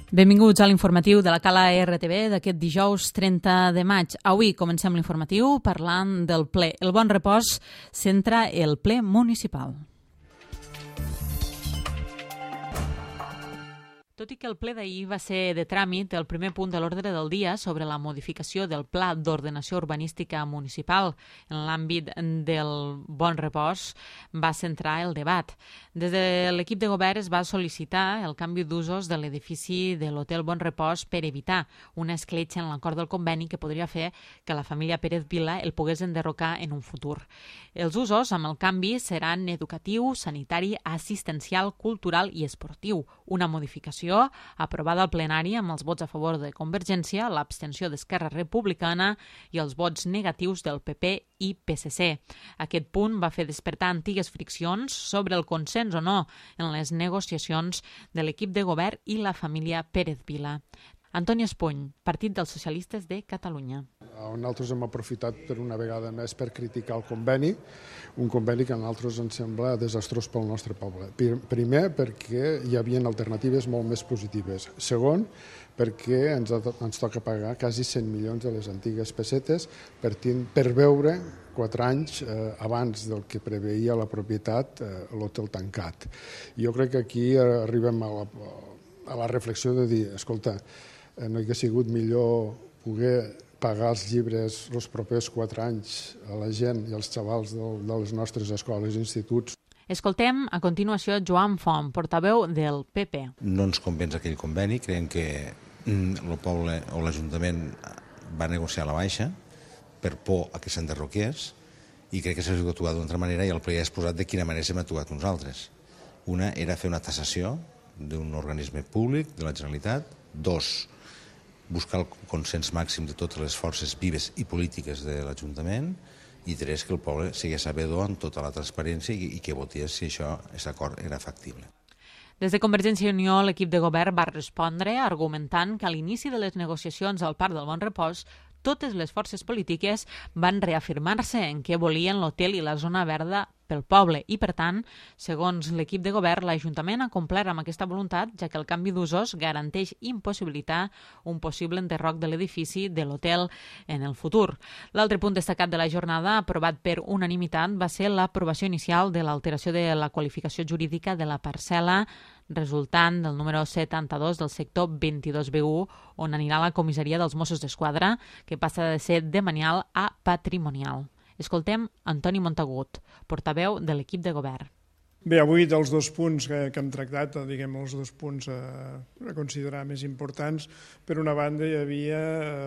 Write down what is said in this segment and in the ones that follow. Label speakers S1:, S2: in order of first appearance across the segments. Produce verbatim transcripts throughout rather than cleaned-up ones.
S1: Benvinguts a l'informatiu de la Cala R T V d'aquest dijous trenta de maig. Avui comencem l'informatiu parlant del ple. El Bon Repòs centra el ple municipal. Tot i que el ple d'ahir va ser de tràmit, el primer punt de l'ordre del dia sobre la modificació del Pla d'Ordenació Urbanística Municipal en l'àmbit del Bon Repòs va centrar el debat. Des de l'equip de govern es va sol·licitar el canvi d'usos de l'edifici de l'Hotel Bon Repòs per evitar una escletxa en l'acord del conveni que podria fer que la família Pérez Vila el pogués enderrocar en un futur. Els usos amb el canvi seran educatiu, sanitari, assistencial, cultural i esportiu. Una modificació aprovada al plenari amb els vots a favor de Convergència, l'abstenció d'Esquerra Republicana i els vots negatius del P P i P S C. Aquest punt va fer despertar antigues friccions sobre el consens o no en les negociacions de l'equip de govern i la família Pérez Vila. Antoni Espuny, Partit dels Socialistes de Catalunya.
S2: Nosaltres hem aprofitat per una vegada més per criticar el conveni, un conveni que a nosaltres ens sembla desastrós pel nostre poble. Primer, perquè hi havia alternatives molt més positives. Segon, perquè ens, ens toca pagar quasi cent milions de les antigues pessetes per, per veure quatre anys eh, abans del que preveia la propietat eh, l'hotel tancat. Jo crec que aquí arribem a la, a la reflexió de dir, escolta, eh, no hauria sigut millor poder pagar els llibres els propers quatre anys a la gent i als xavals de, de les nostres escoles i instituts.
S1: Escoltem a continuació Joan Font, portaveu del P P.
S3: No ens convenç aquell conveni, creiem que el poble o l'Ajuntament va negociar a la baixa per por a que s'enderroqués i crec que s'ha actuat d'una altra manera i el ple ja ha exposat de quina manera s'hem actuat nosaltres. Una era fer una tassació d'un organisme públic de la Generalitat. Dos, buscar el consens màxim de totes les forces vives i polítiques de l'Ajuntament. I tres, que el poble sigués sabedor amb tota la transparència i, i que votés si això, aquest acord era factible.
S1: Des de Convergència i Unió, l'equip de govern va respondre argumentant que a l'inici de les negociacions al Parc del Bon Repòs totes les forces polítiques van reafirmar-se en què volien l'hotel i la zona verda pel poble i, per tant, segons l'equip de govern, l'Ajuntament ha complert amb aquesta voluntat, ja que el canvi d'usos garanteix impossibilitar un possible enderroc de l'edifici de l'hotel en el futur. L'altre punt destacat de la jornada, aprovat per unanimitat, va ser l'aprovació inicial de l'alteració de la qualificació jurídica de la parcel·la resultant del número setanta-dos del sector vint-i-dos B u, on anirà la comissaria dels Mossos d'Esquadra, que passa de ser demanial a patrimonial. Escoltem Antoni Montagut, portaveu de l'equip de govern.
S4: Bé, avui dels dos punts que, que hem tractat, diguem els dos punts a, a considerar més importants, per una banda hi havia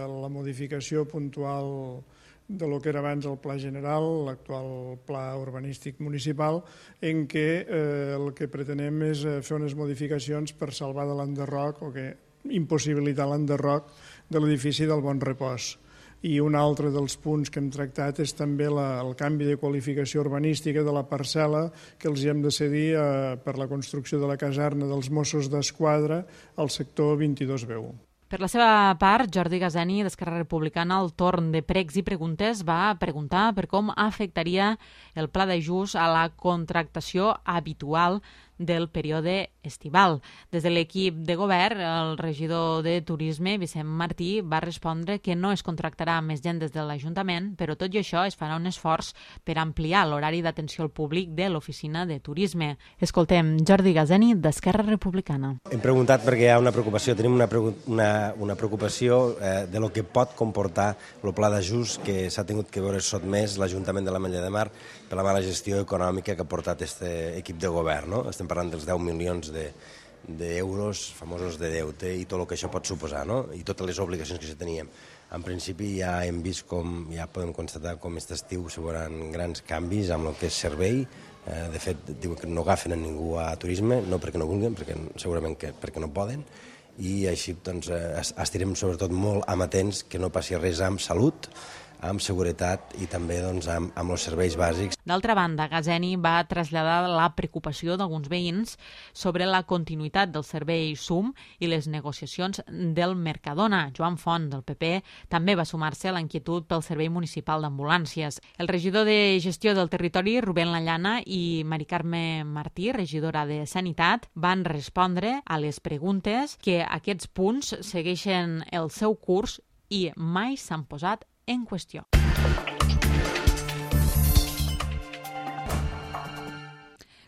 S4: la modificació puntual de lo que era abans el Pla General, l'actual Pla Urbanístic Municipal, en què eh, el que pretenem és fer unes modificacions per salvar de l'enderroc o que impossibilitar l'enderroc de l'edifici del Bon Repòs. I un altre dels punts que hem tractat és també la, el canvi de qualificació urbanística de la parcel·la que els hi hem de cedir eh, per la construcció de la caserna dels Mossos d'Esquadra al sector vint-i-dos B u.
S1: Per la seva part, Jordi Gazeni, d'Esquerra Republicana, al torn de pregs i preguntes, va preguntar per com afectaria el pla d'ajust a la contractació habitual del període estival. Des de l'equip de govern, el regidor de Turisme, Vicent Martí, va respondre que no es contractarà més gent des de l'Ajuntament, però tot i això es farà un esforç per ampliar l'horari d'atenció al públic de l'oficina de Turisme. Escoltem Jordi Gazeni, d'Esquerra Republicana.
S5: Hem preguntat perquè hi ha una preocupació, tenim una, una, una preocupació eh, de lo que pot comportar el pla d'ajust que s'ha tingut que veure sotmès l'Ajuntament de l'Ametlla de Mar per la mala gestió econòmica que ha portat aquest equip de govern. No? Estem parlant dels deu milions d'euros famosos de deute i tot el que això pot suposar, no? I totes les obligacions que se teníem. En principi ja hem vist com, ja podem constatar com aquest estiu s'hi veuran grans canvis amb el que és servei. Eh, de fet, diuen que no agafen a ningú a turisme, no perquè no vulguin, perquè segurament que perquè no poden, i així doncs, estirem sobretot molt amatents que no passi res amb salut, amb seguretat i també doncs, amb, amb els serveis bàsics.
S1: D'altra banda, Gazeni va traslladar la preocupació d'alguns veïns sobre la continuïtat del servei S U M i les negociacions del Mercadona. Joan Font, del P P, també va sumar-se a la inquietud pel Servei Municipal d'Ambulàncies. El regidor de Gestió del Territori, Rubén Lallana, i Mari Carme Martí, regidora de Sanitat, van respondre a les preguntes que aquests punts segueixen el seu curs i mai s'han posat en qüestió.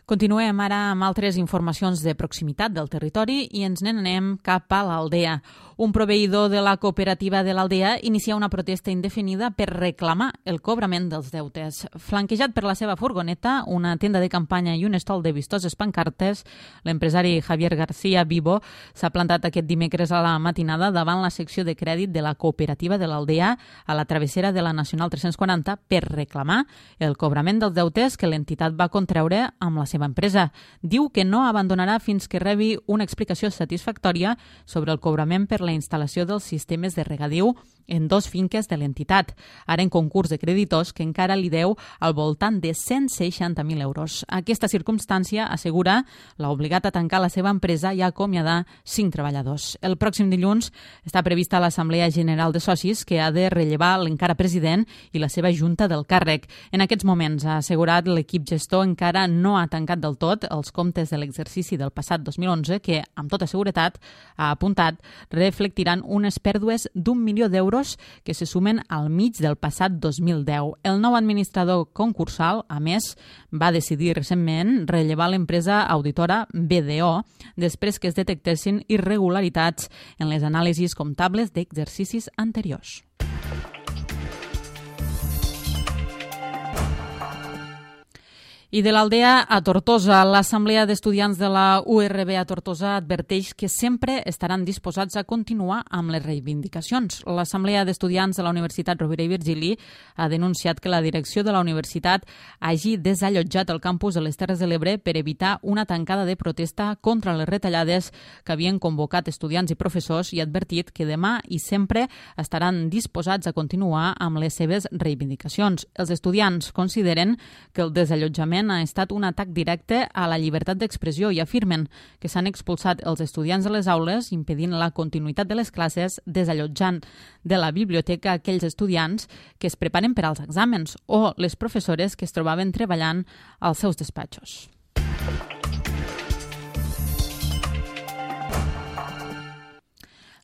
S1: Continuem ara amb altres informacions de proximitat del territori i ens n'anem cap a l'Aldea. Un proveïdor de la cooperativa de l'Aldea inicia una protesta indefinida per reclamar el cobrament dels deutes. Flanquejat per la seva furgoneta, una tenda de campanya i un estol de vistoses pancartes, l'empresari Javier García Vivo s'ha plantat aquest dimecres a la matinada davant la secció de crèdit de la cooperativa de l'Aldea a la travessera de la Nacional tres-cents quaranta per reclamar el cobrament dels deutes que l'entitat va contreure amb la seva empresa. Diu que no abandonarà fins que rebi una explicació satisfactòria sobre el cobrament per la instal·lació dels sistemes de regadiu en dos finques de l'entitat, ara en concurs de creditors que encara li deu al voltant de cent seixanta mil euros. Aquesta circumstància, assegura, l'ha obligat a tancar la seva empresa i a acomiadar cinc treballadors. El pròxim dilluns està prevista l'Assemblea General de Socis que ha de rellevar l'encara president i la seva junta del càrrec. En aquests moments, ha assegurat, l'equip gestor encara no ha tancat del tot els comptes de l'exercici del passat dos mil onze que, amb tota seguretat, ha apuntat, reflectiran unes pèrdues d'un milió d'euros que se sumen al mig del passat dos mil deu. El nou administrador concursal, a més, va decidir recentment rellevar l'empresa auditora B D O després que es detectessin irregularitats en les anàlisis comptables d'exercicis anteriors. I de l'Aldea a Tortosa, l'Assemblea d'Estudiants de la U R B a Tortosa adverteix que sempre estaran disposats a continuar amb les reivindicacions. L'Assemblea d'Estudiants de la Universitat Rovira i Virgili ha denunciat que la direcció de la universitat hagi desallotjat el campus de les Terres de l'Ebre per evitar una tancada de protesta contra les retallades que havien convocat estudiants i professors i ha advertit que demà i sempre estaran disposats a continuar amb les seves reivindicacions. Els estudiants consideren que el desallotjament ha estat un atac directe a la llibertat d'expressió i afirmen que s'han expulsat els estudiants de les aules, impedint la continuïtat de les classes, desallotjant de la biblioteca aquells estudiants que es preparen per als exàmens o les professores que es trobaven treballant als seus despatxos.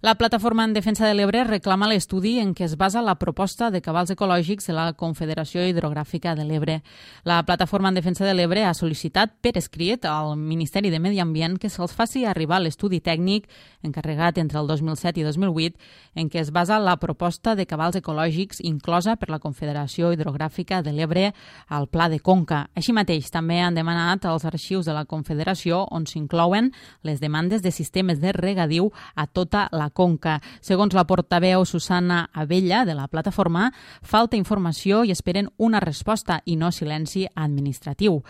S1: La Plataforma en Defensa de l'Ebre reclama l'estudi en què es basa la proposta de cabals ecològics de la Confederació Hidrogràfica de l'Ebre. La Plataforma en Defensa de l'Ebre ha sol·licitat per escrit al Ministeri de Medi Ambient que se'ls faci arribar l'estudi tècnic encarregat entre el dos mil set i dos mil vuit en què es basa la proposta de cabals ecològics inclosa per la Confederació Hidrogràfica de l'Ebre al Pla de Conca. Així mateix, també han demanat als arxius de la Confederació on s'inclouen les demandes de sistemes de regadiu a tota la Conca. Segons la portaveu Susana Abella de la plataforma, falta informació i esperen una resposta i no silenci administratiu.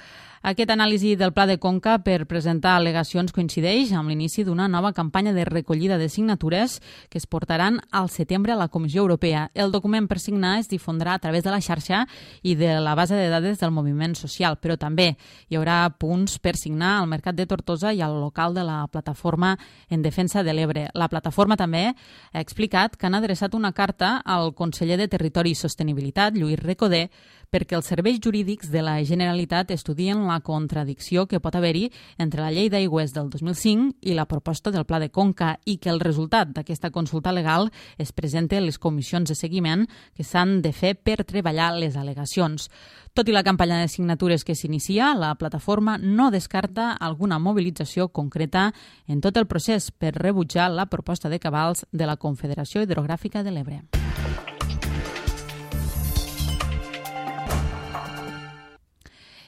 S1: Aquest anàlisi del Pla de Conca per presentar al·legacions coincideix amb l'inici d'una nova campanya de recollida de signatures que es portaran al setembre a la Comissió Europea. El document per signar es difondrà a través de la xarxa i de la base de dades del moviment social, però també hi haurà punts per signar al Mercat de Tortosa i al local de la Plataforma en Defensa de l'Ebre. La plataforma també ha explicat que han adreçat una carta al conseller de Territori i Sostenibilitat, Lluís Recoder, perquè els serveis jurídics de la Generalitat estudien la contradicció que pot haver-hi entre la llei d'aigües del dos mil cinc i la proposta del Pla de Conca i que el resultat d'aquesta consulta legal es presente a les comissions de seguiment que s'han de fer per treballar les al·legacions. Tot i la campanya de signatures que s'inicia, la plataforma no descarta alguna mobilització concreta en tot el procés per rebutjar la proposta de cabals de la Confederació Hidrogràfica de l'Ebre.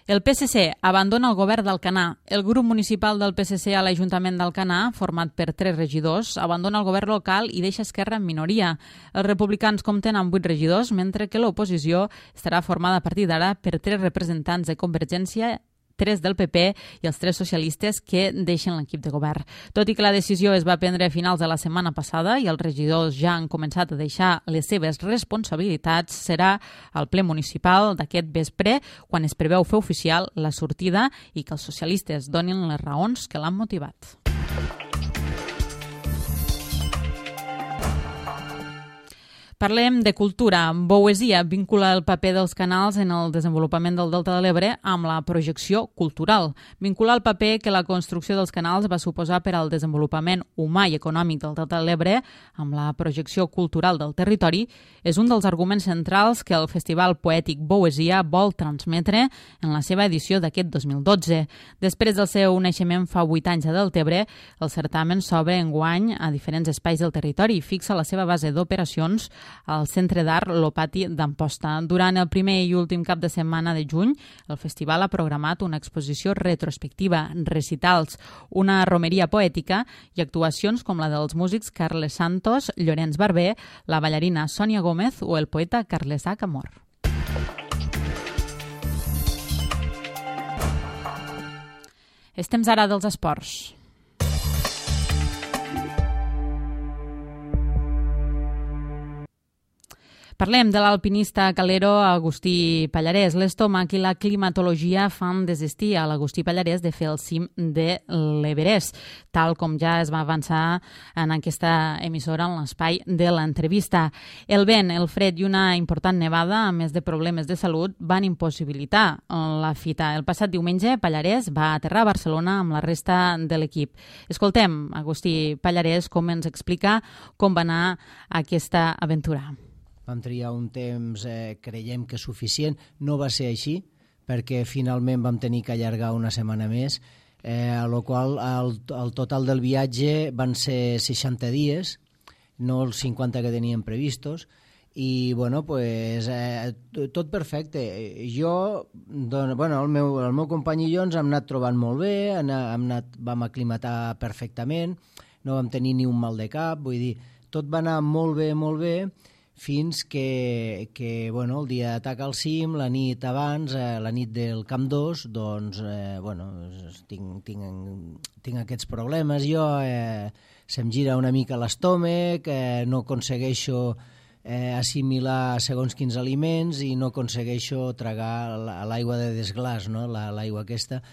S1: El P S C abandona el govern d'Alcanar. El grup municipal del P S C a l'Ajuntament d'Alcanar, format per tres regidors, abandona el govern local i deixa Esquerra en minoria. Els republicans compten amb vuit regidors, mentre que l'oposició estarà formada a partir d'ara per tres representants de Convergència, tres del P P i els tres socialistes que deixen l'equip de govern. Tot i que la decisió es va prendre a finals de la setmana passada i els regidors ja han començat a deixar les seves responsabilitats, serà al ple municipal d'aquest vespre quan es preveu fer oficial la sortida i que els socialistes donin les raons que l'han motivat. Parlem de cultura. Boesia vincula el paper dels canals en el desenvolupament del Delta de l'Ebre amb la projecció cultural. Vincular el paper que la construcció dels canals va suposar per al desenvolupament humà i econòmic del Delta de l'Ebre amb la projecció cultural del territori és un dels arguments centrals que el Festival Poètic Boesia vol transmetre en la seva edició d'aquest dos mil dotze. Després del seu naixement fa vuit anys a Deltebre, el certamen s'obre enguany a diferents espais del territori i fixa la seva base d'operacions al Centre d'Art Lopati d'Amposta. Durant el primer i últim cap de setmana de juny, el festival ha programat una exposició retrospectiva, recitals, una romeria poètica i actuacions com la dels músics Carles Santos, Llorenç Barber, la ballarina Sònia Gómez o el poeta Carlesà Camor. És temps ara dels esports. Parlem de l'alpinista calero Agustí Pallarès. L'estómac i la climatologia fan desistir a l'Agustí Pallarès de fer el cim de l'Everest, tal com ja es va avançar en aquesta emissora en l'espai de l'entrevista. El vent, el fred i una important nevada, a més de problemes de salut, van impossibilitar la fita. El passat diumenge, Pallarès va aterrar a Barcelona amb la resta de l'equip. Escoltem Agustí Pallarès com ens explica com va anar aquesta aventura.
S6: Vam triar un temps, eh, creiem que suficient. No va ser així, perquè finalment vam tenir que allargar una setmana més, eh, a la qual el, el total del viatge van ser seixanta dies, no els cinquanta que teníem previstos, i bueno, pues, eh, tot perfecte. Jo, doncs, bueno, el, meu, el meu company i jo ens hem anat trobant molt bé, hem anat, vam aclimatar perfectament, no vam tenir ni un mal de cap, vull dir, tot va anar molt bé, molt bé, fins que, que bueno, el dia d'atac al cim, la nit abans, eh, la nit del Camp dos, doncs, eh, bueno, tinc, tinc, tinc aquests problemes jo, eh, se'm gira una mica l'estómac, eh, no aconsegueixo eh, assimilar segons quins aliments i no aconsegueixo tragar l'aigua de desglàs, no? l'aigua aquesta.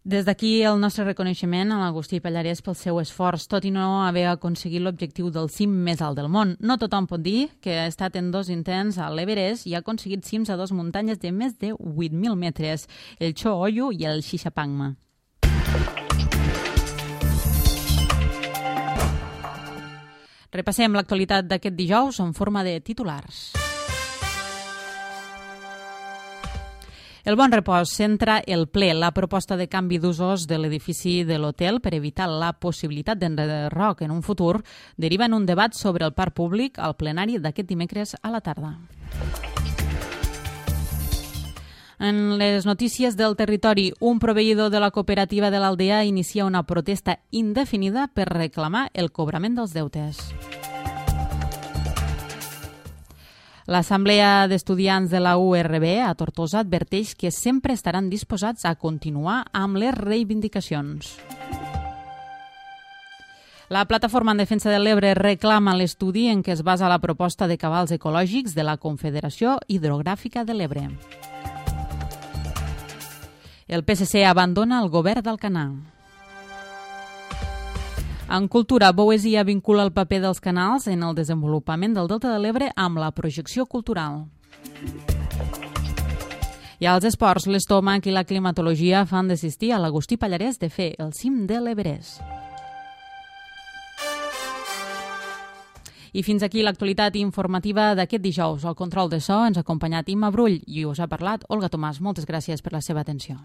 S1: Des d'aquí el nostre reconeixement a l'Agustí Pallarès pel seu esforç, tot i no haver aconseguit l'objectiu del cim més alt del món. No tothom pot dir que ha estat en dos intents a l'Everest i ha aconseguit cims a dues muntanyes de més de vuit mil metres, el Cho Oyu i el Xixapangma. Repassem l'actualitat d'aquest dijous en forma de titulars. El Bon Repòs centra el ple la proposta de canvi d'usos de l'edifici de l'hotel per evitar la possibilitat d'enderroc en un futur deriva en un debat sobre el parc públic al plenari d'aquest dimecres a la tarda. En les notícies del territori, un proveïdor de la cooperativa de l'Aldea inicia una protesta indefinida per reclamar el cobrament dels deutes. L'Assemblea d'Estudiants de la U R B a Tortosa adverteix que sempre estaran disposats a continuar amb les reivindicacions. La Plataforma en Defensa de l'Ebre reclama l'estudi en què es basa la proposta de cabals ecològics de la Confederació Hidrogràfica de l'Ebre. El P S C abandona el govern d'Alcanar. En cultura, Boesia vincula el paper dels canals en el desenvolupament del Delta de l'Ebre amb la projecció cultural. I als esports, l'estómac i la climatologia fan desistir a l'Agustí Pallarès de fer el cim de l'Everest. I fins aquí l'actualitat informativa d'aquest dijous. Al control de so ens ha acompanyat Imma Brull i us ha parlat Olga Tomàs. Moltes gràcies per la seva atenció.